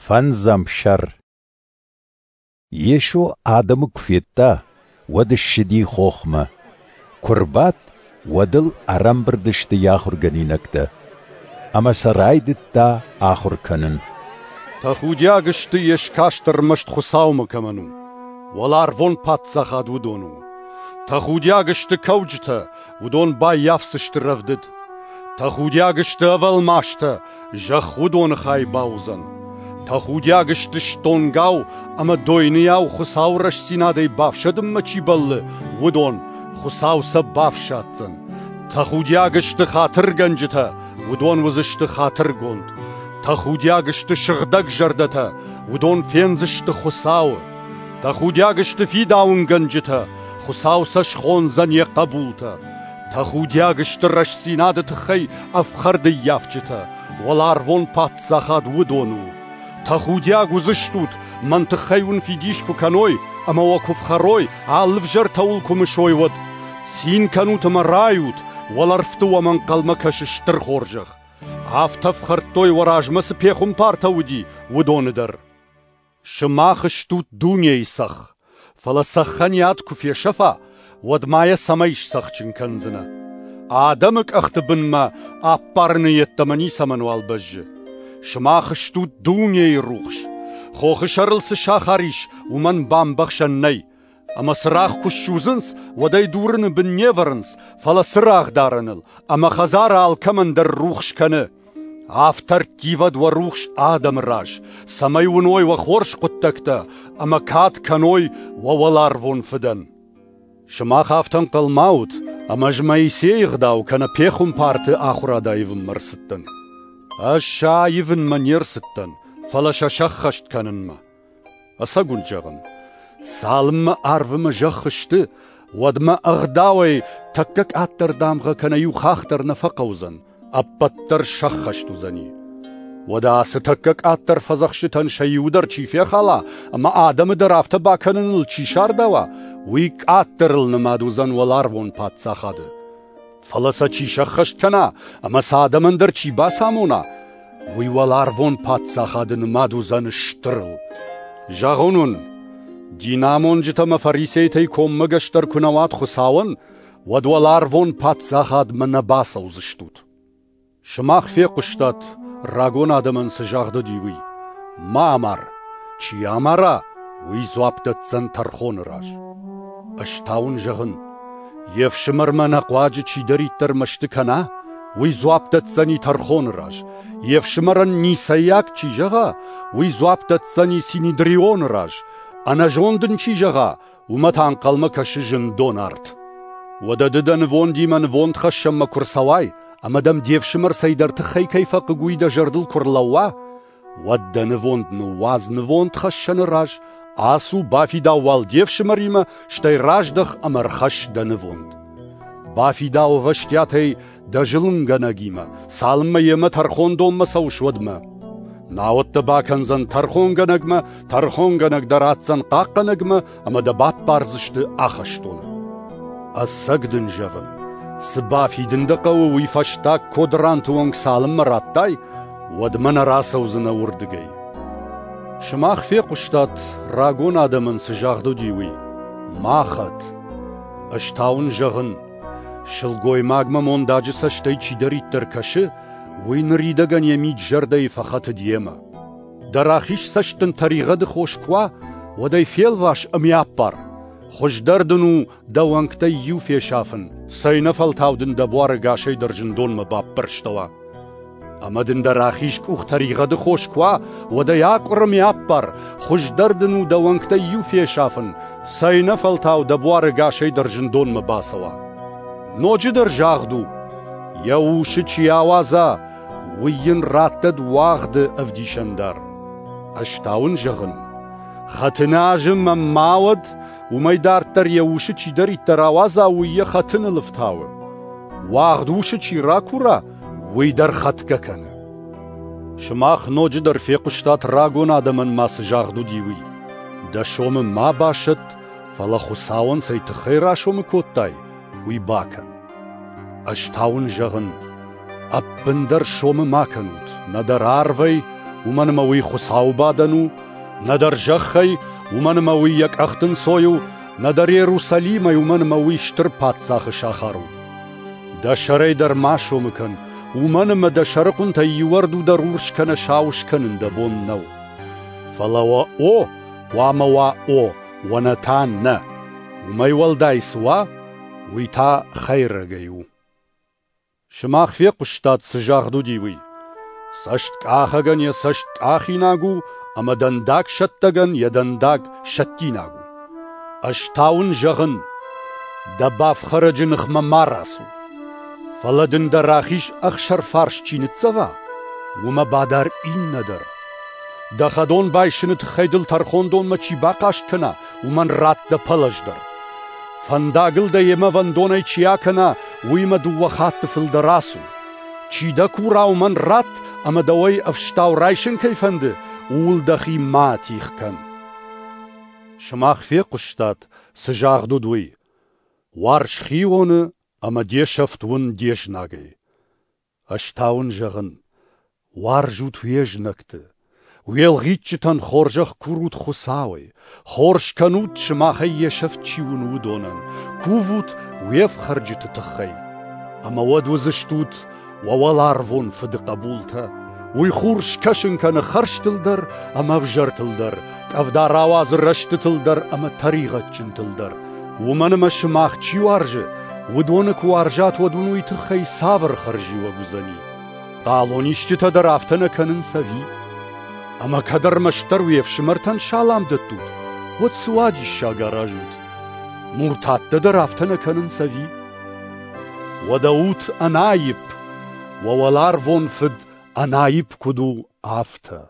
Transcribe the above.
Фӕндзӕм сӕр. Йесо адӕмы куы федта, уӕд ссыди хохмӕ. Куы рбадт, уӕд ыл ӕрӕмбырд сты йӕ ахуыргӕнинӕгтӕ. Ӕмӕ сӕ райдыдта ахуыр кӕнын. Тӕхудиаг сты, йе скаст ӕрмӕст Хуыцаумӕ кӕмӕн у, уӕларвон паддзахад уыдон у. Тӕхудиаг сты кӕуджытӕ, уыдон баййафдзысты рӕвдыд. Тӕхудиаг сты ӕвӕлмастӕ, зӕхх уыдоны хай бауыдзӕн. Тӕхудиаг сты стонгау ӕмӕ дойныйау Хуыцауы рӕстдзинадӕй бафсӕдынмӕ чи бӕллы, уыдон, Хуыцау сӕ бафсаддзӕн. Тӕхудиаг сты хатыргӕнджытӕ, уыдон уыдзысты хатыргонд. Тӕхудиаг сты сыгъдӕг зӕрдӕтӕ, уыдон фендзысты Хуыцауы. Тӕхудиаг сты фидауынгӕнджытӕ, Хуыцау сӕ схондзӕн йӕ хъӕбултӕ. Тӕхудиаг сты рӕстдзинады тыххӕй ӕфхӕрдыййафджытӕ, уӕларвон паддзахад уыдон у. Тӕхудиаг уыдзыстут, мӕн тыххӕй уын фидис куы кӕной ӕмӕ уӕ куы фхӕрой, алы ӕвзӕртӕ уыл куы мысой, уӕд. Цин кӕнут ӕмӕ райут, уӕлӕрвты уӕм ӕнхъӕлмӕ кӕсы стыр хорзӕх. Афтӕ фхӕрдтой уӕ размӕ цы пехуымпартӕ уыди, уыдоны дӕр. Сымах стут дунейы цӕхх, фӕлӕ цӕххӕн йӕ ад куы фесӕфа, уӕд ма йӕ цӕмӕй сцӕхджын кӕндзынӕ? Адӕмы къӕхты бынмӕ ӕппарыны йеддӕмӕ ницӕмӕнуал бӕззы. Сымах стут дунейы рухс. Хохы сӕрыл цы сахар ис, уымӕн бамбӕхсӕн нӕй. Ӕмӕ цырагъ куы ссудзынц, уӕд ӕй дурыны бын не вӕрынц, фӕлӕ цырагъдарӕныл, ӕмӕ хӕдзары алкӕмӕн дӕр рухс кӕны. Афтӕ ӕрттивӕд уӕ рухс адӕмы раз, цӕмӕй уыной уӕ хорз хъуыддӕгтӕ ӕмӕ кад кӕной уӕ уӕларвон Фыдӕн. Сымах афтӕ ӕнхъӕл ма ут, ӕмӕ ӕз Моисейы ӕгъдау кӕнӕ пехуымпарты ахуырад аивынмӕ ӕрцыдтӕн. Ӕз сӕ аивынмӕ не рцыдтӕн, фӕлӕ сӕ сӕххӕст кӕнынмӕ. Ӕцӕг уын зӕгъын, цалынмӕ арв ӕмӕ зӕхх сты, уӕдмӕ ӕгъдауӕй тӕккӕ къаддӕр дамгъӕ кӕнӕ иу хахх дӕр нӕ фӕхъӕудзӕн, ӕппӕт дӕр сӕххӕст уыдзӕни. Уӕдӕ ацы тӕккӕ къаддӕр фӕдзӕхстытӕн сӕ иуы дӕр чи фехала ӕмӕ адӕмы дӕр афтӕ бакӕныныл чи сардауа, уый къаддӕрыл нымад уыдзӕн уӕларвон паддзахады. Фӕлӕ сӕ чи сӕххӕст кӕна ӕмӕ сӕ адӕмӕн дӕр чи бацамона, уый уӕларвон паддзахады нымад уыдзӕн стырыл. Зӕгъон уын, динамонджытӕ ӕмӕ фарисейтӕй коммӕгӕсдӕр куы нӕ уат Хуыцауӕн, уӕд уӕларвон паддзахадмӕ нӕ бацӕудзыстут. Сымах фехъуыстат, рагон адӕмӕн цы загъд уыди, уый: «Ма амар! Чи амара, уый дзуапп дӕтдзӕн тӕрхоны раз». Ӕз та уын зӕгъын, йе фсымӕрмӕ ӕнӕхъуаджы чидӕриддӕр мӕсты кӕна, уый дзуапп дӕтдзӕни тӕрхоны раз. Йе фсымӕрӕн ницӕйаг чи зӕгъа, уый дзуапп дӕтдзӕни Синедрионы раз. Ӕнӕзонд ын чи зӕгъа, уымӕ та ӕнхъӕлмӕ кӕсы зындон арт. Уӕдӕ ды дӕ нывондимӕ нывондхӕссӕнмӕ куы рцӕуай, ӕмӕ дӕм де фсымӕр цӕйдӕр тыххӕй кӕй фӕхъыг, уый дӕ зӕрдыл куы рлӕууа, уӕд дӕ нывонд ныууадз нывондхӕссӕны раз, ацу, бафидау уал де фсымӕримӕ, стӕй раздӕх ӕмӕ ӕрхӕсс дӕ нывонд. Бафидау ӕвӕстиатӕй дӕ зылынгӕнӕгимӕ, цалынмӕ йемӕ тӕрхондонмӕ цӕуыс, уӕдмӕ. Науӕд дӕ бакӕндзӕн тӕрхонгӕнӕгмӕ, тӕрхонгӕнӕг дӕ ратдзӕн хъахъхъӕнӕгмӕ ӕмӕ дӕ баппардзысты ахӕстоны. Ӕцӕг дын зӕгъын, цы бафидын дӕ хъӕуы, уый фӕстаг кодранты онг цалынмӕ радтай, уӕдмӕ нӕ рацӕудзынӕ уырдыгӕй. Сымах фехъуыстат, рагон адӕмӕн цы загъд уыди, уый: «Ма хӕт». Ӕз та уын зӕгъын, сылгоймагмӕ мондаджы цӕстӕй чидӕриддӕр кӕсы, уый ныридӕгӕн йӕ мид-зӕрдӕйы фӕхӕтыд йемӕ. Дӕ рахиз цӕст дын тӕригъӕды хос куы уа, уӕд ӕй фелвас ӕмӕ аппар. Хуыздӕр дын у дӕ уӕнгтӕй иу фесафын, цӕйнӕфӕлтау дын дӕ буар ӕгасӕй дӕр зындонмӕ баппӕрстӕуа. Ӕмӕ дын дӕ рахиз къух тӕригъӕды хос куы уа, уӕд ӕй акъуыр ӕмӕ аппар. Хуыздӕр дын у дӕ уӕнгтӕй иу фесафын, цӕйнӕфӕлтау дӕ буар ӕгасӕй дӕр зындонмӕ бацӕуа. Ноджыдӕр загъд у: йӕ усы чи ауадза, уый йын раттӕд уагъды ӕвдисӕндар. Ӕз та уын зӕгъын, хӕтыны азы мӕм ма уӕд, уымӕй дарддӕр йӕ усы чидӕриддӕр ауадза, уый йӕ хӕтыныл ӕфтауы. Уагъд усы чи ракура, уый дӕр хӕтгӕ кӕны. Сымах ноджыдӕр фехъуыстат рагон адӕмӕн ма цы загъд уыди, уый: Дӕ сомы ма басӕтт, фӕлӕ Хуыцауӕн цӕй тыххӕй расомы кодтай, уый бакӕн. Ӕз та уын зӕгъын, ӕппындӕр сомы ма кӕнут, нӕдӕр арвӕй, уымӕн ӕмӕ уый Хуыцауы бадӕн у, нӕдӕр зӕххӕй, уымӕн ӕмӕ уый йӕ къӕхты нцой у, нӕдӕр Иерусалимӕй, уымӕн ӕмӕ уый стыр паддзахы сахар у. Дӕ сӕрӕй дӕр ма сомы кӕн, уымӕн ӕмӕ дӕ сӕрыхъуынтӕй иу ӕрду дӕр урс кӕнӕ сау скӕнын дӕ бон нӕу. Фӕлӕ уӕ «о» хъуамӕ уа «о», уӕ «нӕ» та «нӕ». Уымӕй уӕлдай цы уа, уый та хӕйрӕгӕй у. Сымах фехъуыстат, цы загъд уыди, уый. Цӕсткъахӕгӕн йӕ цӕст къахинаг у, ӕмӕ дӕндагсӕттӕгӕн йӕ дӕндаг сӕттинаг у. Ӕз та уын зӕгъын, дӕ бафхӕрӕджы ныхмӕ ма рацу. Фӕлӕ дын дӕ рахиз ӕхсӕрфарс чи ныццӕва, уымӕ бадар иннӕ дӕр. Дӕ хӕдон байсыны тыххӕй дыл тӕрхондонмӕ чи бахъаст кӕна, уымӕн ратт дӕ пӕлӕз дӕр. Фӕндагыл дӕ йемӕ вӕндонӕй чи акӕна, уыимӕ дыууӕ хатты фылдӕр ацу. Чи дӕ кура, уымӕн ратт, ӕмӕ дӕуӕй ӕфстау райсын кӕй фӕнды, ууыл дӕхи ма атигъ кӕн. Сымах фехъуыстат, цы загъд уыд, уый: Уарз хионы ӕмӕ де сӕфт уын де знагӕй. Ӕз та уын зӕгъын, уарзут уе знӕгты, уе лгъитджытӕн хорзӕх курут Хуыцауӕй, хорз кӕнут, сымахӕй йе сӕфт чи уыны, уыдонӕн, кувут уе фхӕрджыты тыххӕй. Ӕмӕ уӕд уыдзыстут уӕ уӕларвон Фыды хъӕбултӕ. Уый хур скӕсын кӕны хӕрзтыл дӕр ӕмӕ ӕвзӕртыл дӕр, къӕвда рауадзы рӕстытыл дӕр ӕмӕ тӕригъӕдджынтыл дӕр. Уымӕн ӕмӕ сымах чи уарзы, уыдоны куы уарзат, уӕд уын уый тыххӕй цавӕр хӕрзиуӕг уыдзӕни? Хъалонисджытӕ дӕр афтӕ нӕ кӕнынц ӕви? Ӕмӕ кӕд ӕрмӕстдӕр уе фсымӕртӕн салам дӕттут, уӕд цы уадиссаг аразут? Муртаттӕ дӕр афтӕ нӕ кӕнынц ӕви? Уӕдӕ ут ӕнаипп, уӕ уӕларвон Фыд ӕнаипп куыд у, афтӕ.